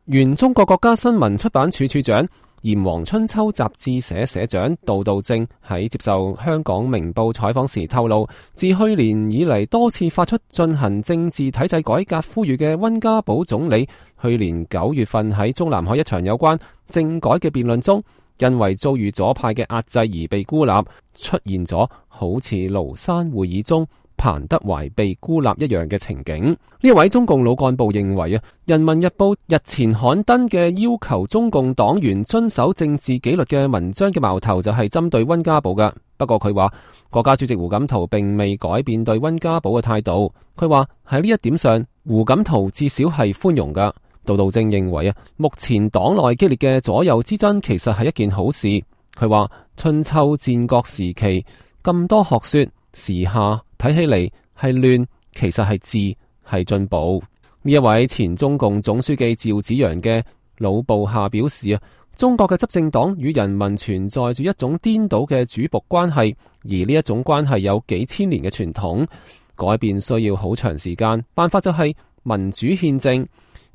原中國國家新聞出版處處長、炎黃春秋雜誌社社長杜道正喺接受香港明報採訪時透露，自去年以嚟多次發出進行政治體制改革呼籲嘅溫家寶總理，去年9月份喺中南海一場有關政改嘅辯論中，因為遭遇左派嘅壓制而被孤立，出現咗好似廬山會議中彭德懷被孤立一樣嘅情景。呢一位中共老幹部認為人民日報日前刊登嘅要求中共黨員遵守政治紀律嘅文章嘅矛頭就係針對溫家寶嘅。不過佢話國家主席胡錦濤並未改變對溫家寶嘅態度。佢話喺呢一點上，胡錦濤至少係寬容㗎。杜道正認為目前黨內激烈嘅左右之爭其實係一件好事。佢話春秋戰國時期咁多學說，時下睇起嚟係亂，其實係治，係進步。呢一位前中共總書記趙紫陽嘅老部下表示中國嘅執政黨與人民存在住一種顛倒嘅主僕關係，而呢一種關係有幾千年嘅傳統，改變需要好長時間，辦法就係民主憲政。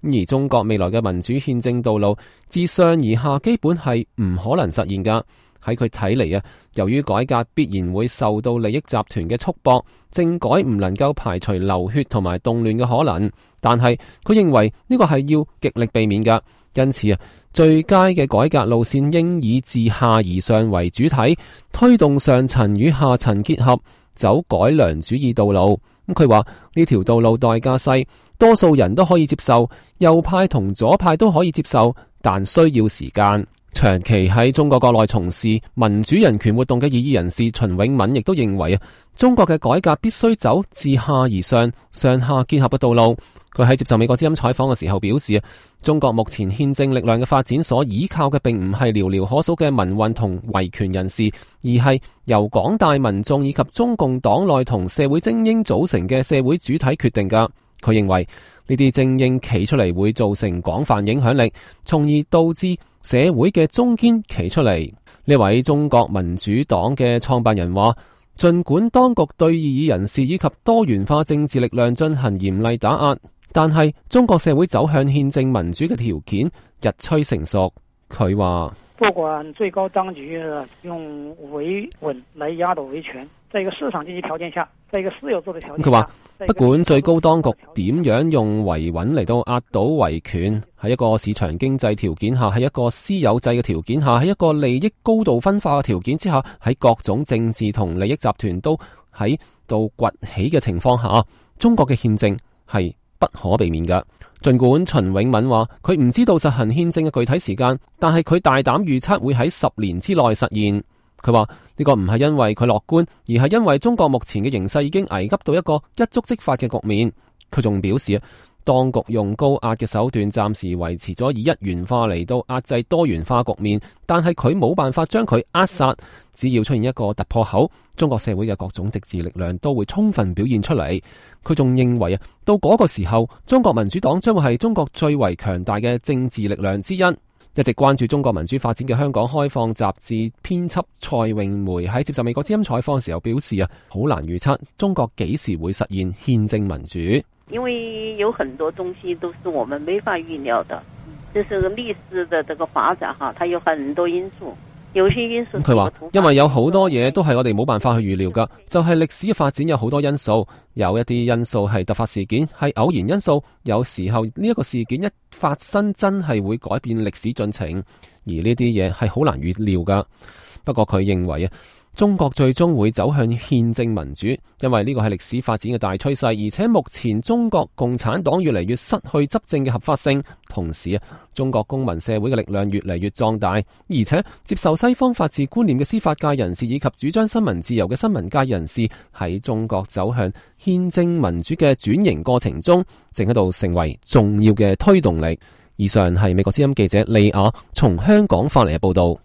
而中國未來嘅民主憲政道路，自上而下基本係唔可能實現㗎。喺佢睇嚟由於改革必然會受到利益集團嘅束縛，政改唔能夠排除流血同埋動亂嘅可能。但係佢認為呢個係要極力避免㗎。因此最佳嘅改革路線應以自下而上為主體，推動上層與下層結合，走改良主義道路。佢話呢條道路代價細，多數人都可以接受，右派同左派都可以接受，但需要時間。長期喺中國國內從事民主人權活動嘅異議人士秦永敏亦都認為中國嘅改革必須走自下而上、上下結合嘅道路。佢喺接受美國之音採訪嘅時候表示，中國目前憲政力量嘅發展所依靠嘅並唔係寥寥可數嘅民運同維權人士，而係由廣大民眾以及中共黨內同社會精英組成嘅社會主體決定㗎。佢認為呢啲精英企出嚟會造成廣泛影響力，從而導致社會嘅中堅企出嚟。呢位中國民主黨嘅創辦人話，儘管當局對異議人士以及多元化政治力量進行嚴厲打壓，但係中國社會走向憲政民主嘅條件日趨成熟。佢話不管最高當局用維穩來壓倒維權，在一個市場經濟條件下，在一個私有制的條件下，佢話不管最高當局點樣用維穩嚟到壓倒維權，喺一個市場經濟條件下，喺一個私有制嘅條件下，喺一個利益高度分化嘅條件之下，喺各種政治同利益集團都喺度崛起嘅情況下，中國嘅憲政係不可避免㗎。儘管秦永敏話佢唔知道實行憲政嘅具體時間，但係佢大膽預測會喺10年之內實現。佢話呢個唔係因為佢樂觀，而係因為中國目前嘅形勢已經危急到一個一觸即發嘅局面。佢仲表示當局用高壓嘅手段暫時維持咗以一元化嚟到壓制多元化局面，但係佢冇辦法將佢扼殺。只要出現一個突破口，中國社會嘅各種政治力量都會充分表現出嚟。佢仲認為到嗰個時候，中國民主黨將會係中國最為強大嘅政治力量之一。一直關注中國民主發展嘅香港開放雜誌編輯蔡詠梅喺接受美國之音採訪嘅時候表示好難預測中國幾時會實現憲政民主，因為有很多東西都是我們沒法預料的，就是歷史的這個發展它有很多因素。佢話因為有好多嘢都係我哋冇辦法去預料噶，就係歷史嘅發展有好多因素，有一啲因素係突發事件，係偶然因素，有時候呢一個事件一發生真係會改變歷史進程，而呢啲嘢係好難預料噶。不過佢認為中國最終會走向憲政民主，因為呢個係歷史發展嘅大趨勢，而且目前中國共產黨越嚟越失去執政嘅合法性，同時中國公民社會嘅力量越嚟越壯大，而且接受西方法治觀念嘅司法界人士以及主張新聞自由嘅新聞界人士喺中國走向憲政民主嘅轉型過程中，正喺度成為重要嘅推動力。以上係美國之音記者利亞從香港發嚟嘅報道。